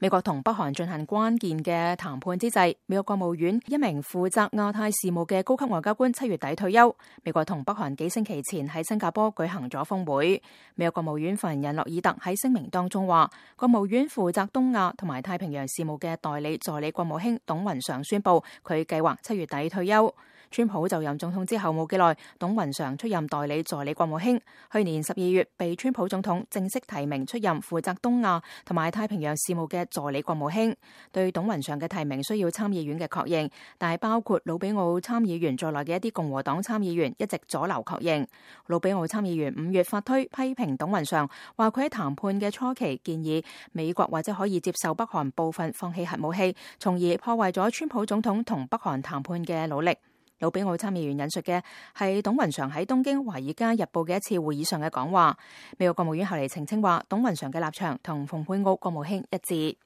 美國同北韓進行關鍵嘅談判之際，美國國務院一名負責亞太事務嘅高級外交官7月底退休。美國同北韓幾星期前喺新加坡舉行咗峰會。美國國務院發言人洛爾特喺聲明當中話，國務院負責東亞同埋太平洋事務嘅代理助理國務卿董雲常宣布，佢計劃7月底退休。川普就任總統之後冇幾耐，董雲常出任代理助理國務卿。去年12月被川普總統正式提名出任負責東亞同埋太平洋事務嘅助理國務卿。對董雲常嘅提名需要參議院嘅確認，但係包括魯比奧參議員在內嘅一啲共和黨參議員一直阻撓確認。魯比奧參議員5月發推批評董雲常，話佢喺談判嘅初期建議美國或者可以接受北韓部分放棄核武器，從而破壞咗川普總統同北韓談判嘅努力。魯比奧參議員引述嘅係董雲常喺東京《華爾街日報》嘅一次會議上嘅講話。美國國務院後嚟澄清話，董雲常嘅立場同蓬佩奧國務卿一致。